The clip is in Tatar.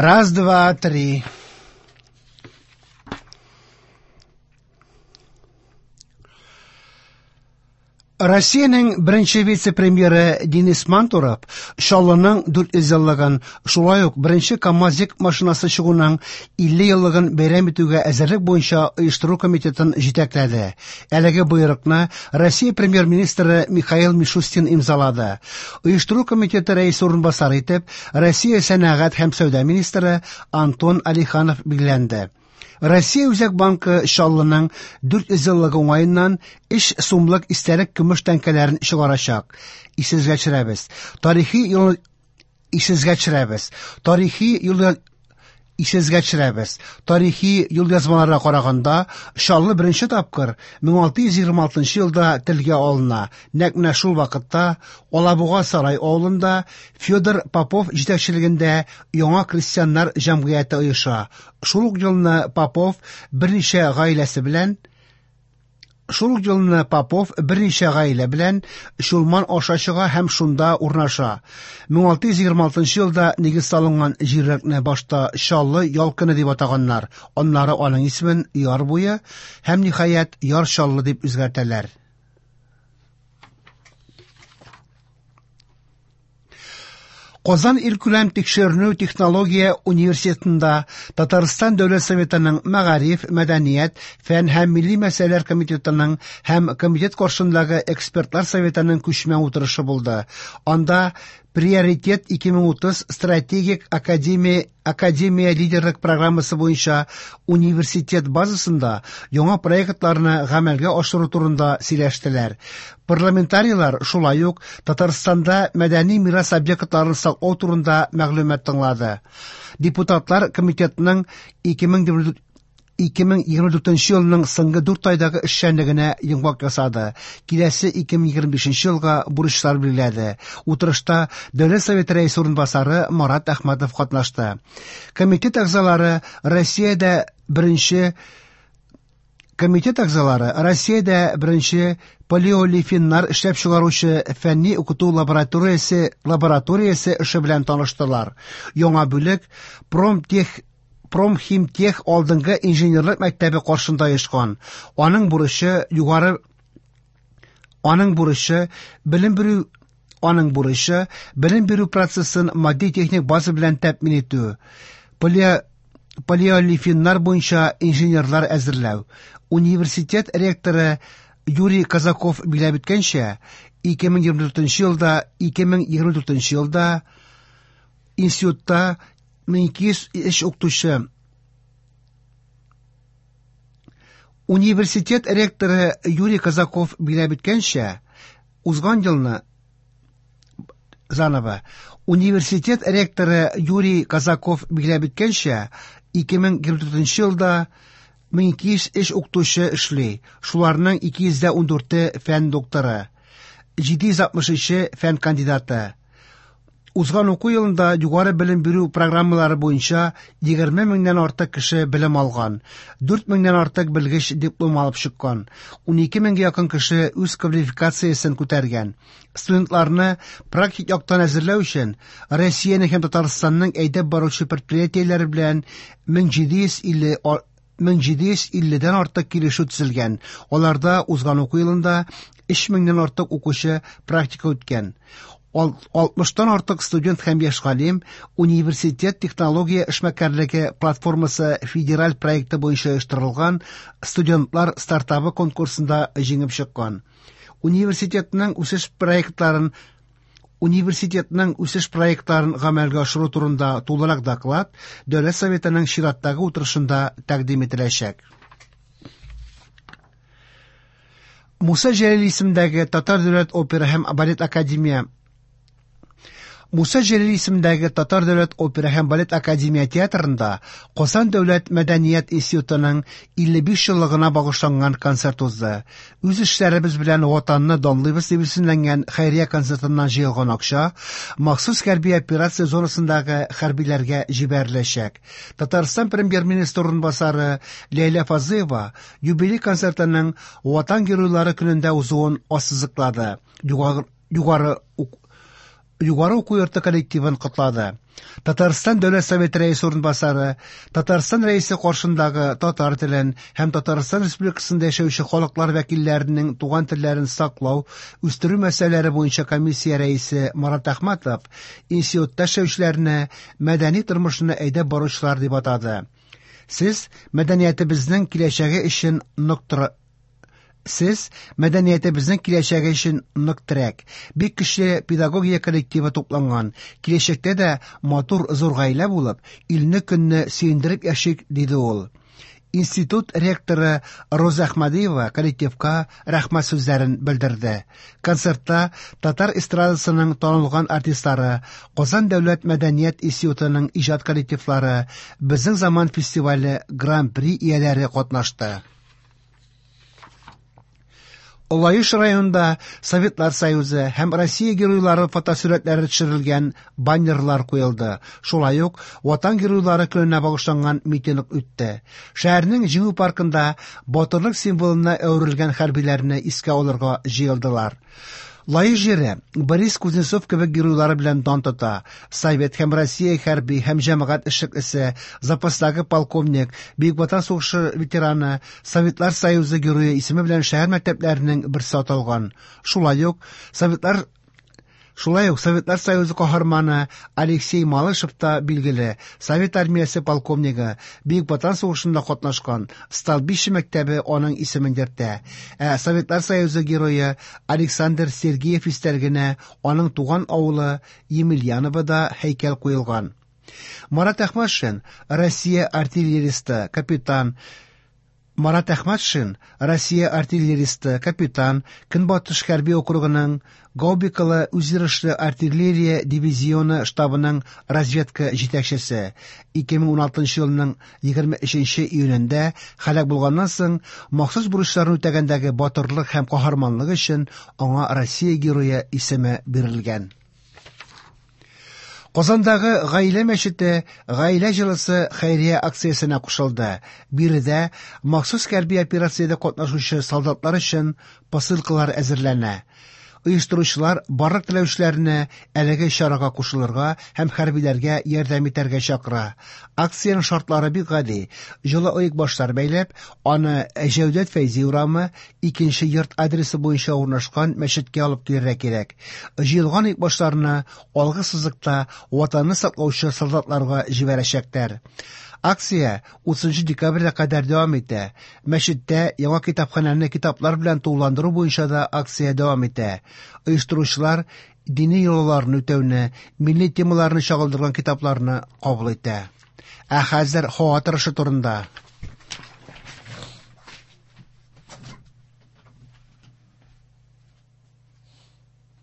Раз, два, три. Россиянең беренче вице-премьеры Денис Мантуров Чаллының 400 еллыгын, шулай ук беренче КАМАЗ йөк машинасы чыгуның 50 еллыгын бәйрәм итүгә әзерлек буенча оештыру комитетын җитәкләде. Әлеге боерыкны Россия премьер-министры Михаил Мишустин имзалады. Оештыру комитеты рәисе урынбасары итеп Россия сәнәгать һәм сәүдә министры Антон Алиханов билгеләнде. Россия Үзәк банкы Чаллының 400 еллыгы уңаеннан 3 сумлык истәлек көмеш тәңкәләрен чыгарачак. Исегезгә төшерәбез. Тарихи юл Исегезгә төшерәбез. Тарихи юл Исегезгә төшерәбез. Тарихи юлъязмаларга караганда, Чаллы беренче тапкыр 1626 елда телгә алына. Нәкъ менә шул вакытта Алабуга Сарай авылында Федор Попов җитәкчелегендә яңа крестьяннар җәмгыяте оеша. Шул ук елны Попов берничә гаиләсе белән Шул ук елны Попов берничә гаилә белән Чулман аша чыга һәм шунда урнаша. 1626 елда нигез салынган җирлекне башта Чаллы Ялкыны дип атаганнар, аннары аның исемен Яр буе һәм, ниһаять, Яр Чаллы дип үзгәртәләр. Казан илкүләм тикшеренү технология университетында Татарстан Дәүләт Советының Мәгариф, мәдәният, фән һәм милли мәсьәләләр комитетының һәм комитет каршындагы экспертлар советының күчмә утырышы булды. Анда Приоритет 2030 стратегик академия Академия лидерлык программасы буенча университет базасында яңа проектларны гамәлгә ашыру турында сөйләштеләр. Парламентарийлар шулай ук Татарстанда мәдәни мирас объектларын саклау турында мәгълүмат тыңлады. Депутатлар комитетның 2024 елның соңгы дүрт айдагы эшчәнлегенә йомгак ясады, киләсе 2025 елга бурычлар билгеләде. Утырышта Дәүләт Советы Рәисе урынбасары Марат Әхмәтов катнашты. Комитет әгъзалары Россиядә беренче Комитет әгъзалары Россиядә беренче полиолефиннар эшләп чыгаручы фәнни укыту лабораториясе лабораториясе эше белән таныштылар. Яңа бүлек Промтех Промхимтех алдынгы инженерлык мәктәбе каршында оешкан. Аның бурычы югары Аның бурычы белем бирү Аның бурычы белем бирү процессын матди-техник база белән тәэмин итү, полиолефиннар буенча инженерлар әзерләү. Университет ректоры Юрий Казаков билгеләп үткәнчә, 2024 елда 2024 елда институтта 1203 укытучы Университет ректоры Юрий Казаков билгеләп үткәнчә, узган елны заново Университет ректоры Юрий Казаков билгеләп үткәнчә, 2024 елда 1203 укытучы эшли, шуларның 214-е фән докторы, 763-е фән кандидаты. Узган уку елында югары белем бирү программалары буенча 20 меңнән артык кеше белем алган, 4 меңнән артык белгеч диплом алып чыккан, 12 меңгә якын кеше үз квалификациясен күтәргән. Студентларны практик яктан әзерләү өчен Россиянең һәм Татарстанның әйдәп баручы предприятиеләре белән 1750 1750 дән артык килешү төзелгән, аларда узган уку елында 3 меңнән артык укучы практика үткән. 60-тан артык студент һәм яшь галим Университет технология эшмәкәрлеге платформасы федераль проекты буенча оештырылган студентлар стартабы конкурсында җиңеп чыккан. Университетның үсеш проектларын Университетның үсеш проектларын гамәлгә ашыру турында тулырак доклад Дәүләт Советының чираттагы утырышында тәкъдим ителәчәк. Муса Җәлил исемендәге Татар дәүләт опера һәм балет академия Муса Җәлил исемендәге Татар дәүләт опера һәм балет академия театрында Казан дәүләт мәдәният институтының 55 еллыгына багышланган концерт узды. Үз эшләребез белән Ватанны данлыйбыз дип исемләнгән хәйрия концертыннан җыелган акча махсус хәрби операция зонасындагы хәрбиләргә җибәреләчәк. Татарстан Премьер-министры урынбасары Ләйлә Фазлыева юбилей концертының Ватан геройлары көнендә узуын ассызыклады. Югары Югары уку йорты коллективын котлады. Татарстан Дәүләт Советы Рәисе урынбасары, Татарстан Рәисе каршындагы татар телен һәм Татарстан Республикасында яшәүче халыклар вәкилләренең туган телләрен саклау, үстерү мәсьәләләре буенча комиссия рәисе Марат Әхмәтов институтта эшләүчеләрне мәдәни тормышны әйдәп баручылар дип атады. Сез мәдәниятебезнең киләчәге өчен нык тора Сез мәдәниятебезнең киләчәге өчен нык терәк. Бик көчле педагогия коллективы тупланган. Киләчәктә дә матур зур гаилә булып, илне-көнне сөендереп яшик, диде ул. Институт ректоры Роза Әхмәдиева коллективка рәхмәт сүзләрен белдерде. Концертта татар эстрадасының танылган артистлары, Казан дәүләт мәдәният институтының иҗат коллективлары, Безнең заман фестивале Гран-при ияләре катнашты. Лаеш районында Советлар Союзы һәм Россия геройлары фотосурәтләре төшерелгән баннерлар куелды. Шулай ук Ватан геройлары көненә багышланган митинг үтте. Шәһәрнең Җиңү паркында батырлык символына әверелгән хәрбиләрне искә алырга җыелдылар. Лаеш җире Борис Кузнецов кебек геройлары белән дан тота. Совет һәм Россия хәрби һәм җәмәгать эшлеклесе, запастагы полковник, Бөек Ватан сугышы ветераны, Советлар Союзы герое исеме белән шәһәр мәктәпләренең берсе аталган. Шулай ук Советлар Шулай ук Советлар Союзы каһарманы Алексей Малышев та билгеле. Совет армиясе полковнигы, Бөек Ватан сугышында катнашкан, Столбище мәктәбе аның исемен йөртә. Ә Советлар Союзы герое Александр Сергеев истәлегенә аның туган авылы Емельяновода һәйкәл куелган. Марат Әхмәтшин, Россия артиллеристы, капитан, Марат Әхмәтшин, Россия артиллеристы, капитан, Көнбатыш хәрби округының Гаубикалы үзйөрешле артиллерия дивизионы штабының разведка җитәкчесе. 2016 елның 23 июнендә һәлак булганнан соң, махсус бурычларын үтәгәндәге батырлык һәм каһарманлык өчен аңа Россия Герое исеме бирелгән. Казандагы Гаилә мәчете Гаилә җылысы хәйрия акциясенә кушылды. Биредә махсус хәрби операциядә катнашучы солдатлар өчен посылкалар әзерләнә. Оештыручылар барлык теләүчеләрне әлеге чарага кушылырга һәм хәрбиләргә ярдәм итәргә чакыра. Акциянең шартлары бик гади. Җылы оекбашлар бәйләп, аны Җәүдәт Фәйзи урамы, икенче йорт адресы буенча урнашкан мәчеткә алып килергә кирәк. Җыелган оекбашларны алгы сызыкта Ватанны саклаучы солдатларга җибәрәчәкләр. Акция 30 декабрьгә кадәр дәвам итә. Мәчеттә яңа китапханәне китаплар белән тулыландыру буенча да акция дәвам итә. Оештыручылар дини йолаларны үтәүне, милли темаларны чагылдырган китапларны кабул итә. Ә хәзер һава торышы турында.